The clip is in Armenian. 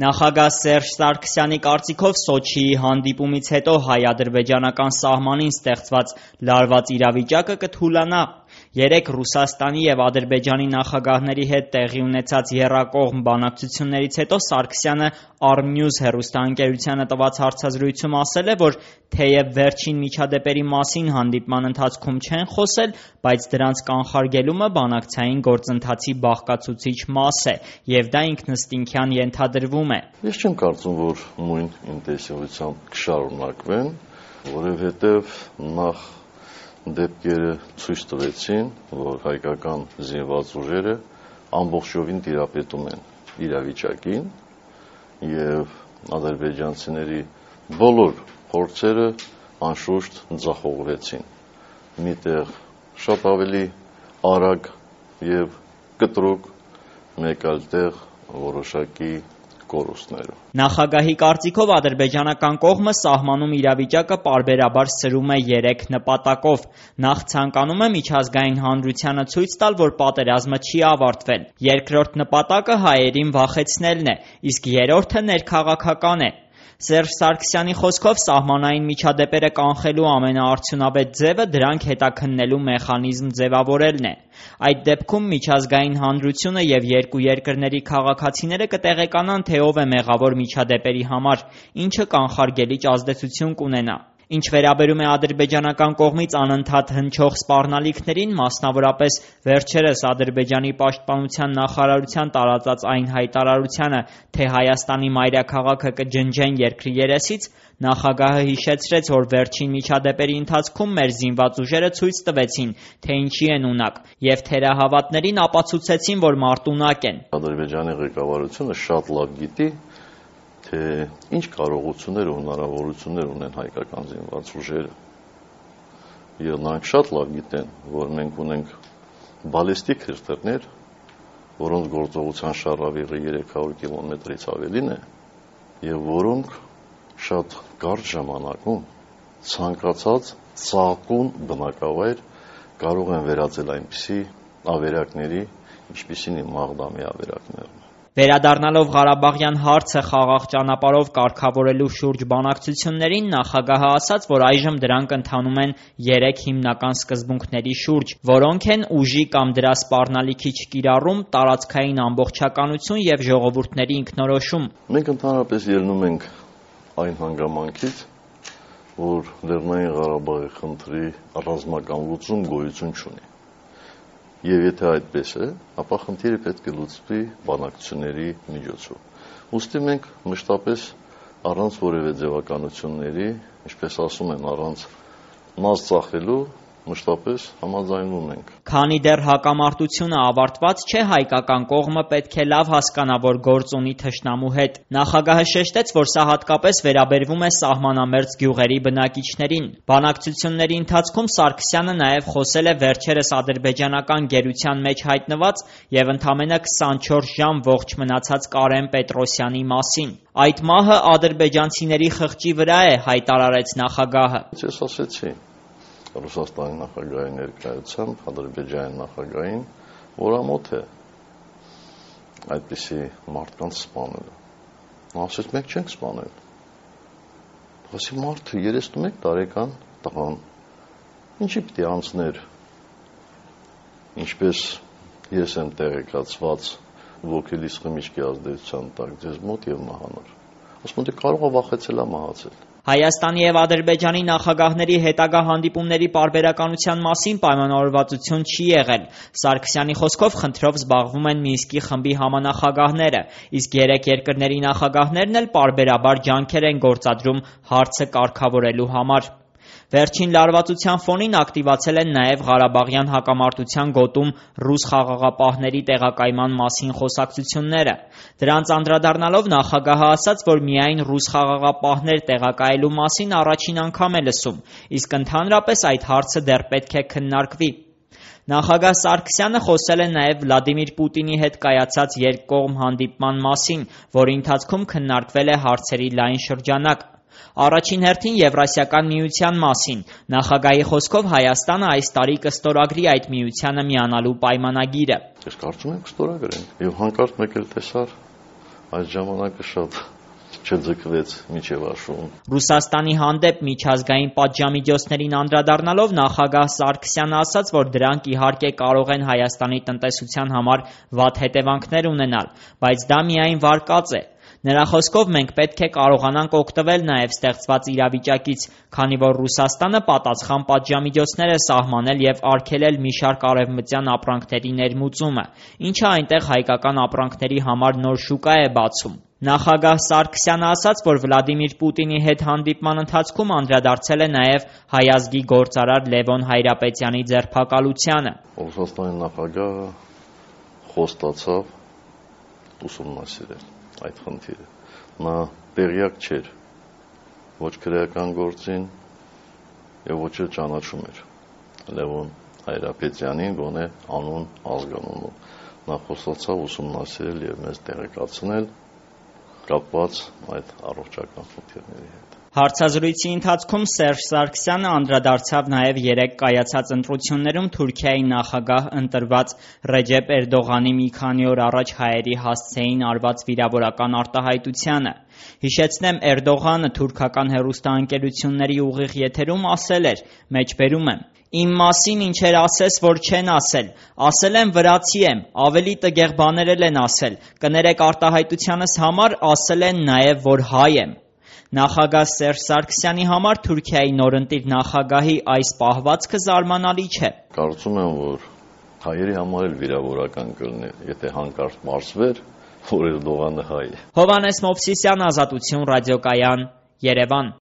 Նախագահ Սերժ Սարգսյանի կարծիքով Սոչիի հանդիպումից հետո հայ-ադրբեջանական սահմանին ստեղծված լարված իրավիճակը կթուլանա։ Երեկ Ռուսաստանի և Ադրբեջանի նախագահների հետ տեղի ունեցած եռակողմ բանակցություններից հետո Սարգսյանը Arnews հեռուստաընկերությանը տված հարցազրույցում ասել է, որ թեև վերջին միջադեպերի մասին հանդիպման ընթացքում չեն խոսել, բայց դրանց կանխարգելումը բանակցային գործընթացի բաղկացուցիչ մաս է, և դա ինքնըստինքյան ենթադրվում է։ Ես չեմ կարծում, որ նույն ինտենսիվությամբ կշարունակվեն, որովհետև նախ դեպքերը ցույց տվեցին, որ հայկական զինված ուժերը ամբողջովին տիրապետում են իրավիճակին և ադրբեջանցիների բոլոր փորձերը անշուշտ ձախողվեցին։ Միտեղ շատ ավելի արագ և կտրուկ, մեկ այլ տեղ որոշակի կորուստներով։ Նախագահի կարծիքով ադրբեջանական կողմը սահմանում իրավիճակը պարբերաբար սրում է 3 նպատակով։ Նախ ցանկանում է միջազգային հանրությանը ցույց տալ, որ պատերազմը չի ավարտվել։ Երկրորդ նպատակը հայերին վախեցնելն է, իսկ երրորդը ներքաղաքական է։ Սերժ Սարգսյանի խոսքով սահմանային միջադեպերը կանխելու ամենաարդյունավետ ձևը դրանք հետաքննելու մեխանիզմ ձևավորելն է։ Այդ դեպքում միջազգային հանրությունը և երկու երկրների քաղաքացիները կտեղեկանան, թե ով է մեղավոր միջադեպերի համար, ինչը կանխարգելիչ ազդեցություն կունենա։ Ինչ վերաբերում է ադրբեջանական կողմից անընդհատ հնչող սպառնալիքներին, մասնավորապես վերջերս Ադրբեջանի պաշտպանության նախարարության տարածած այն հայտարարությանը, թե Հայաստանի մայրաքաղաքը կջնջեն երկրի երեսից, նախագահը հիշեցրեց, որ վերջին միջադեպերի ընթացքում մեր զինված ուժերը ցույց տվեցին, թե ինչի են ունակ, և թերահավատներին ապացուցեցին, որ մարտունակ են։ Ադրբեջանի ղեկավարությունը շատ լավ գիտի, թե ինչ կարողություններ ու հնարավորություններ ունեն հայկական զինված ուժերը։ Եվ նրանք շատ լավ գիտեն, որ մենք ունենք բալիստիկ հրթիռներ, որոնց գործողության շառավիղը 300 կիլոմետրից ավելին է, և որոնք շատ կարճ ժամանակում ցանկացած ծաղկուն բնակավայր կարող են վերածել այնպիսի ավերակների, ինչպիսին Մաղդամի ավերակներն են։ Վերադառնալով Ղարաբաղյան հարցը խաղաղ ճանապարհով կարգավորելու շուրջ բանակցություններին, նախագահը ասաց, որ այժմ դրանք ընթանում են 3 հիմնական սկզբունքների շուրջ, որոնք են ուժի կամ դրա սպառնալիքի չկիրառում, տարածքային ամբողջականություն և ժողովուրդների ինքնորոշում։ Մենք ընդհանրապես ելնում ենք այն հանգամանքից, որ Լեռնային Ղարաբաղի խնդրի ռազմական լուծում գոյություն չունի։ Եվ եթե այդպես է, ապա խնդիրը պետք է լուծվի բանակցությունների միջոցով։ Ուստի մենք մշտապես առանց որևէ ձևականությունների, ինչպես ասում են, առանց նազ ծախելու, մշտապես համաձայնվում ենք։ Քանի դեռ հակամարտությունը ավարտված չէ, հայկական կողմը պետք է լավ հասկանա, որ գործ ունի թշնամու հետ։ Նախագահը շեշտեց, որ սա հատկապես վերաբերվում է սահմանամերձ գյուղերի բնակիչներին։ Բանակցությունների ընթացքում Սարգսյանը նաև խոսել է վերջերս ադրբեջանական գերության մեջ հայտնված և ընդամենը 24 ժամ ողջ մնացած Կարեն Պետրոսյանի մասին։ Այդ մահը ադրբեջանցիների խղճի վրա է, հայտարարեց նախագահը։ Ես ասեցի Ռուսաստանի նախագահի ներկայությամբ Ադրբեջանի նախագահին, որ ամոթ է այդպիսի մարդկանց սպանելը։ Նա ասեց, մենք չենք սպանել։ Ասի մարդը 31 տարեկան տղան, ինչի պիտի անցներ, ինչպես ես եմ տեղեկացված ոգելից խմիչքի ազդեցության տակ ձեզ մոտ և մահանար։ Ասում եմ, կարող է վախեցել է մահացել։ Հայաստանի և Ադրբեջանի նախագահների հետագա հանդիպումների պարբերականության մասին պայմանավորվածություն չի եղել։ Սարգսյանի խոսքով խնդրով զբաղվում են Մինսկի խմբի համանախագահները, իսկ 3 երկրների նախագահներն էլ պարբերաբար ջանքեր են գործադրում հարցը կարգավորելու համար։ Վերջին լարվածության ֆոնին ակտիվացել են նաև Ղարաբաղյան հակամարտության գոտում ռուս խաղաղապահների տեղակայման մասին խոսակցությունները։ Դրանց անդրադառնալով նախագահը ասաց, որ միայն ռուս խաղաղապահներ տեղակայելու մասին առաջին անգամ է լսում, իսկ ընդհանրապես այդ հարցը դեռ պետք է քննարկվի։ Նախագահ Սարգսյանը խոսել է նաև Վլադիմիր Պուտինի հետ կայացած երկկողմ հանդիպման մասին, որի ընթացքում քննարկվել է հարցերի լայն շրջանակ։ Առաջին հերթին Եվրասիական միության մասին։ Նախագահի խոսքով Հայաստանը այս տարի կստորագրի այդ միությանը միանալու պայմանագիրը։ Ես կարծում եմ կստորագրենք։ Եվ հանկարծ մեկ էլ տեսար Այդ ժամանակը շատ չձգվեց մինչև աշուն։ Ռուսաստանի հանդեպ միջազգային պատժամիջոցներին անդրադառնալով նախագահ Սարգսյանը ասաց, որ դրանք իհարկե կարող են Հայաստանի տնտեսության համար վատ հետևանքներ ունենալ, բայց դա միայն վարկած է։ Նրա խոսքով մենք պետք է կարողանանք օգտվել նաև ստեղծված իրավիճակից, քանի որ Ռուսաստանը պատասխան պատժամիջոցներ է սահմանել և արգելել մի շարք արևմտյան ապրանքների ներմուծումը, ինչը այնտեղ հայկական ապրանքների համար նոր շուկա է բացում։ Նախագահ Սարգսյանը ասաց, որ Վլադիմիր Պուտինի հետ հանդիպման ընթացքում անդրադարձել է նաև հայ ազգի գործարար Լևոն Հայրապետյանի ձերբակալությանը։ Ռուսաստանի նախագահը խոստացավ ուսումնասիրել այդ խնդիրը։ Նա տեղյակ չէր ոչ քրեական գործին եւ ոչ էլ ճանաչում էր Լևոն Հայրապետյանին գոնե անուն ազգանունով։ Նա խոստացավ ուսումնասիրել եւ մեզ տեղեկացնել կապված այդ առողջական խնդիրների հետ։ Հարցազրույցի ընթացքում Սերժ Սարգսյանը անդրադարձավ նաև երեկ կայացած ընտրություններում Թուրքիայի նախագահ ընտրված Ռեջեփ Էրդողանի մի քանի օր առաջ հայերի հասցեին արված վիրավորական արտահայտությանը։ Հիշեցնեմ, Էրդողանը թուրքական հեռուստաընկերությունների ուղիղ եթերում ասել էր, մեջբերում եմ. «Իմ մասին ինչեր ասես, որ չեն ասել, ասել եմ վրացի եմ, ավելի տգեղ բաներ էլ են ասել, կներեք արտահայտությանս համար ասել են նաև, որ հայ եմ»։ Նախագահ Սերժ Սարգսյանի համար Թուրքիայի նորընտիր նախագահի այս պահվածքը զարմանալի չէ։ Կարծում եմ, որ հայերի համար էլ վիրավորական կլիներ, եթե հանկարծ մարզվեր, որ Էրդողանը հայ է։ Հովհաննես Մովսիսյան, Ազատություն ռադիոկայան, Երևան։